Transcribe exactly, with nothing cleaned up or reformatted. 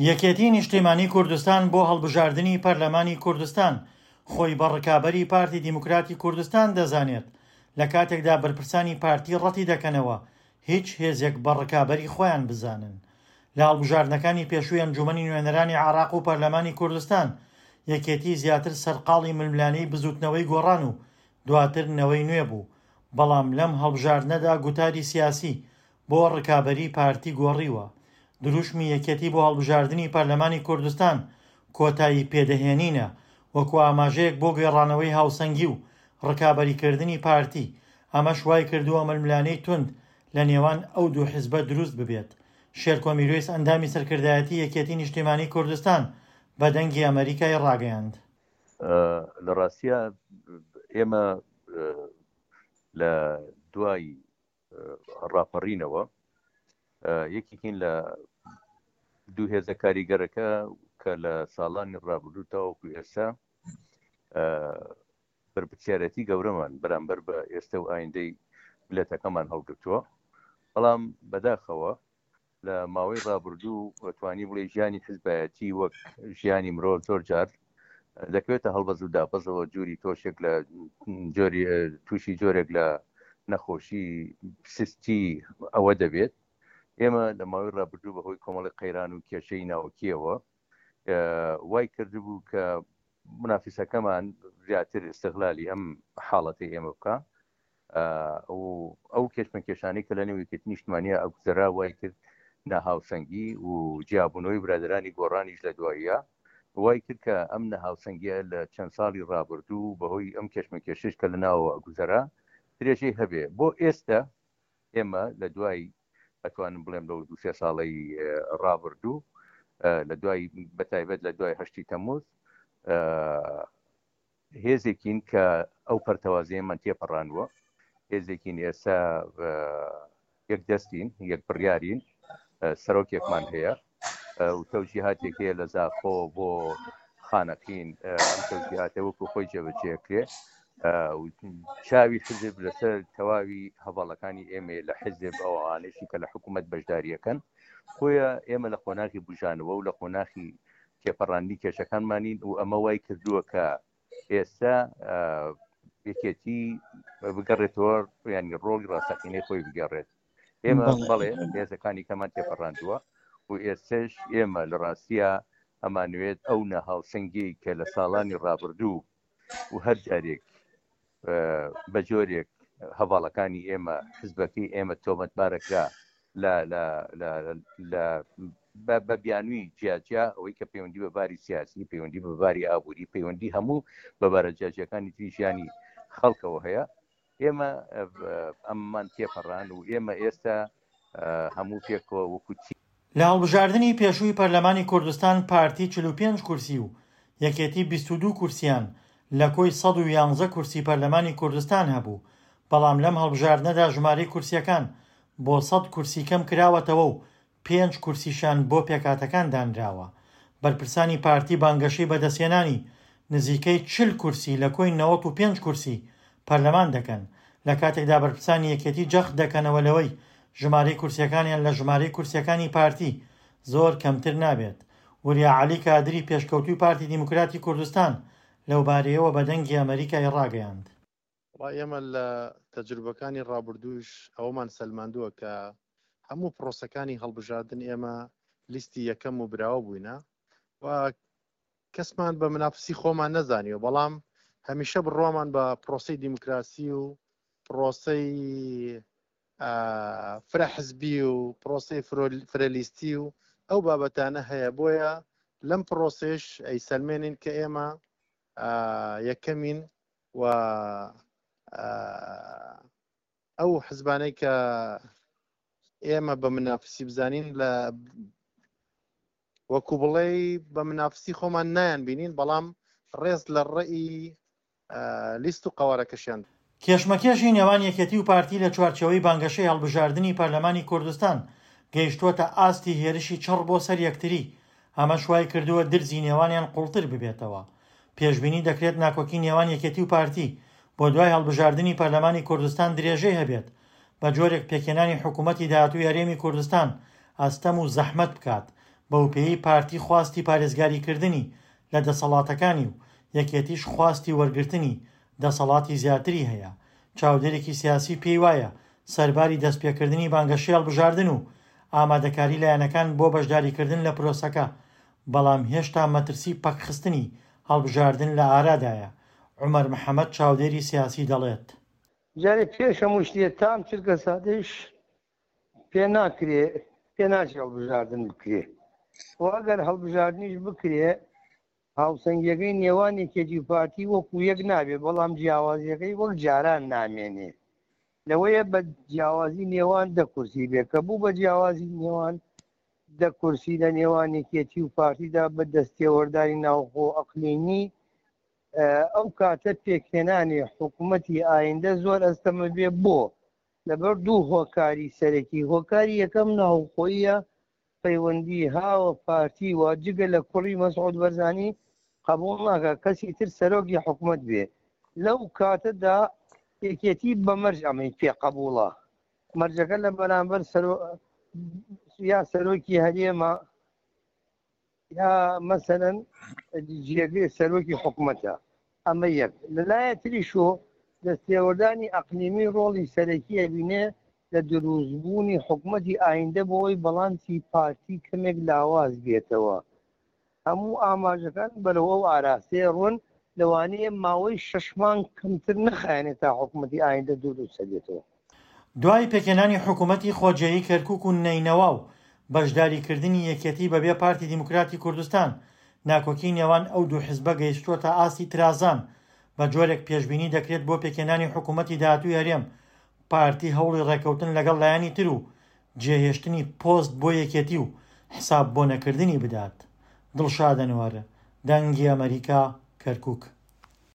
یەکێتی نیشتیمانی کوردستان بۆ هەڵبژاردنی پەرلەمانی کوردستان خۆی بە ڕکابەری پارتی دیموکراتی کوردستان دەزانێت، لە کاتێکدا بەرپرسانی پارتی ڕەتی دەکەنەوە هیچ هێزێک بە ڕکابەری خۆیان بزانن. لە هەڵبژاردنەکانی پێشووی ئەنجومەنی نوێنەرانی عێراق و پەرلەمانی کوردستان یەکێتی زیاتر سەرقاڵی ململانێی بزوتنەوەی گۆڕان و دواتر نەوەی نوێ بوو، بەڵام لەم هەڵبژاردنەدا گوتاری سیاسی بۆ ڕکابەری پارتی گۆڕیوە. دروشمی یەکێتی بۆ هەڵبژاردنی پەرلەمانی کوردستان کۆتایی پێدەهێنینە، وەکو ئاماژەیەک بۆ گێڕانەوەی هاوسەنگی و ڕکابەریکردنی پارتی، ئەمەش وای کردووە ململانێی توند لە نێوان ئەو دوو حزبە دروست ببێت. شێرکۆ میرویس ئەندامی سەرکردایەتی یەکێتی نیشتیمانی کوردستان بە دەنگی ئەمەریکای ڕاگەیاند. لە ڕاستیە ئێمە لە دوای ڕاپەڕینەوە یەکێکین لە دوو هێزە کاریگەرەکە کە لە ساڵانی ڕابردوو تاوەکو ئێستا بەرپرسیارەتی گەورەمان بەرامبەر بە ئێستا و ئایندەی میللەتەکەمان هەڵگرتووە. بەڵام بەداخەوە لە ماوەی ڕابردوو توانی بڵێ ژیانی حزبایەتی وەک ژیانی مرۆڤ زۆر جار دەکەوێتە هەڵبەز و دابەزەوە، جووری تۆشێک لە جۆری تووشی جۆرێک لە نەخۆشی سستی ئەوە دەبێت. ئێمە لە ماوەی ڕابردوو بەهۆی کۆمەڵی قەیران و کێشەی ناوکیەوە وای کردبوو کە منافسەکەمان زیاتر استغلالی ئەم حاڵەتی ئێمە بکە و ئەو کێشمەکێشانەی کە لە نێو یەکێتی نیشتمانیە ئەگوزەرا وای کرد ناهاوسەنگی و جیابوونەوەی برادرانی گۆڕانیش لە دواییە وای کرد کە ئەم نەهاوسەنگیە لە چەند ساڵی ڕابردوو بەهۆی ئەم کێشمەکێشش کە لە ناوەوە ئەگوزەرا درێژەی هەبێ. بۆ ئێستا ئێمە لە دوای ئەتوانم بڵێم لەو دوو سێ ساڵەی ڕابردوو لە دوای بەتایبەت لە دوای هەشتی تەمموز هێزێکین کە ئەو پەرتەوازەیەمان تێپەڕانوە، هێزێکین ئێستا یەک دەستین، یەک بڕیارین، سەرۆکێکمان هەیە و تەوجیهاتێک هەیە لە زاخۆ بۆ خانەقین، ئەم تەوجیهاتە وەکو خۆی جێبەجێکرێ. چاوی حزب لەسەر تەواوی هەواڵەکانی ئێمە لە حزب ئەوانەیشی کە لە حکوومەت بەشداریەکەن. بۆیە ئێمە لە قۆناغی بژانەوە و لە قۆناغی تێپەڕاندنی کێشەکانمانین و ئەمە وای کردووە کە ئێستا یەکێتی بگەڕێتەوە، ینی ڕۆڵی ڕاستەقینەی خۆی بگەڕێت. ئێمە بەڵێ هێزەکانی کەمان تێپەڕاندووە و ئێستش ئێمە لە ڕاستیە ئەمانوێت ئەو نەهاوسەنگی کە لە ساڵانی ڕابردوو و هەر جارێک بە جۆرێک هەواڵەکانی ئێمە حزبەکەی ئێمە تۆمەتبارەکرا لە لە لە بە بیانوی جیاجیا، ئەوەی کە پەیوەندی بە باری سیاسی، پەیوەندی بە باری ئابووری، پەیوەندی هەموو بە بارە جیاجیەکانی تری ژیانی خەڵکەوە هەیە. ئێمە ئەممان تێپەڕان و ئێمە ئێستا هەموو پێکەوە وەکو چی. لە هەڵبژاردنی پێشووی پەرلەمانی کوردستان پارتی چل و پێنج کورسی و یەکێتی بیست و دوو کورسیان لە کۆی سەد و یانزە کورسی پەرلەمانی کوردستان هەبوو، بەڵام لەم هەڵبژاردنەدا ژمارەی کورسیەکان بۆ سەد کورسی کەم کراوەتەوە و پێنج کورسیشان بۆ پێکاتەکان دانراوە. بەرپرسانی پارتی بانگەشەی بەدەستهێنانی نزیکەی چل کورسی لە کۆی نەوەت و پێنج کورسی پەرلەمان دەکەن، لە کاتێکدا بەرپرسانی یەکێتی جەخت دەکەنەوە لەوەی ژمارەی کورسیەکانیان لە ژمارەی کورسیەکانی پارتی زۆر کەمتر نابێت. وریا عەلی کادری پێشکەوتووی پارتی دیموکراتی کوردستان لەو بارەیەوە بە دەنگی ئەمەریکای ڕاگەیاند. ئێمە لە تەجروبەکانی ڕابردووش ئەوەمان سەلماندووە کە هەموو پرۆسەکانی هەڵبژاردن ئێمە لیستی یەکەم و براوە بووینە و کەسمان بە منافسی خۆمان نەزانیوە، بەڵام هەمیشە بڕوامان بە پرۆسەی دیموکراسی و پرۆسەی فرە حزبی و پرۆسەی فرەلیستی و ئەو بابەتانە هەیە. بۆیە لەم پرۆسێش ئەیسەلمێنین کە ئێمە یەکەمین و ئەو حزبانەی کە ئێمە بە منافسی بزانین لە وەکو بڵێ بە منافسی خۆمان نایان بینین، بەڵام ڕێز لە ڕێی لیست و قەوارەکەشیان. کێشمەکێشی نێوان یەکێتی و پارتی لە چوارچێوەی بانگەشەی هەڵبژاردنی پەرلەمانی کوردستان گەیشتووەتە ئاستی هێرشی چڕ بۆ سەر یەکتری، ئەمەش وای کردووە درزی نێوانیان قوڵتر ببێتەوە. پێشبینی دەکرێت ناکۆکی نێوان یەکێتی و پارتی بۆ دوای هەڵبژاردنی پەرلەمانی کوردستان درێژەی هەبێت، بە جۆرێک پێکهێنانی حکوومەتی داهاتووی هەرێمی کوردستان ئەستەم و زەحمەت بکات، بەوپێیەی پارتی خواستی پارێزگاریکردنی لە دەسەڵاتەکانی و یەکێتیش خواستی وەرگرتنی دەسەڵاتی زیاتری هەیە. چاودێرێکی سیاسی پێیوایە سەرباری دەستپێکردنی بانگەشەی هەڵبژاردن و ئامادەکاری لایەنەکان بۆ بەشداریکردن لە پرۆسەکە، بەڵام هێشتا مەترسی پەکخستنی هەڵبژاردن لە ئارادایە. عومەر محەمەد چاودێری سیاسی دەڵێت. جارێ پێش هەموو شتێ تام چرکە ساتەیش پێ ناکرێ، پێ ناچێ هەڵبژاردن بکرێ و ئەگەر هەڵبژاردنیش بکرێ هاوسەنگیەکەی نێوان یەکێتی و پارتی وەکو یەک نابێ، بەڵام جیاوازیەکەی وەک جاران نامێنێ. لەوەیە بە جیاوازی نێوان دە کورسی بێ، کە بوو بە جیاوازی نێوان دە کورسی لە نێوان یەکێتی و پارتیدا بە دەستێوەردانی ناوخۆ ئەقلیمی، ئەو کاتە پێکهێنانی حکوومەتی ئایندە زۆر ئەستەمە بێ. بۆ لەبەر دوو هۆکاری سەرەکی. هۆکاری یەکەم ناوخۆیە، پەیوەندی هاوە پارتی و جگە لە کوڕی مەسعود بەرزانی قبول ناکە کەسی تر سەرۆکی حکوومەت بێ. لەو کاتەدا یەکێتی بە مەرج ئەمەی پێ قبوڵە، مەرجەکە لە بەرامبەر یا سەرۆکی هەرێمە یا مەسەلەن جێگەی سەرۆکی حکوومەتە. ئەمە یەک. لەلایە تریشۆ دەستێوەردانی ئەقلیمی ڕۆڵی سەرەکی ئەبینێ لە دروستبوونی حکوومەتی ئایندە بۆی بەڵانسی پارتی کەمێک لاواز بێتەوە. هەموو ئاماژەکان بەرەو ئەو ئاراستەیە ڕۆن، لەوانەیە ماوەی شەش مانگ کەمتر نەخایەنێت تا حکوومەتی ئایندە دروست بێتەوە. دوای پێکهێنانی حکوومەتی خۆجێیی کەرکوک و نەینەوا و بەشداریکردنی یەکێتی بەبێ پارتی دیموکراتی کوردستان، ناکۆکی نێوان ئەو دوو حزبە گەیشتووەتە ئاستی ترازان، بە جۆرێک پێشبینی دەکرێت بۆ پێکهێنانی حکوومەتی داهاتووی هەرێم پارتی هەوڵی ڕێککەوتن لەگەڵ لایەنی تر و جێهێشتنی پۆست بۆ یەکێتی و حساب بۆ نەکردنی بدات. دڵشاد ئەنوەر، دەنگی ئەمەریکا، کەرکوک.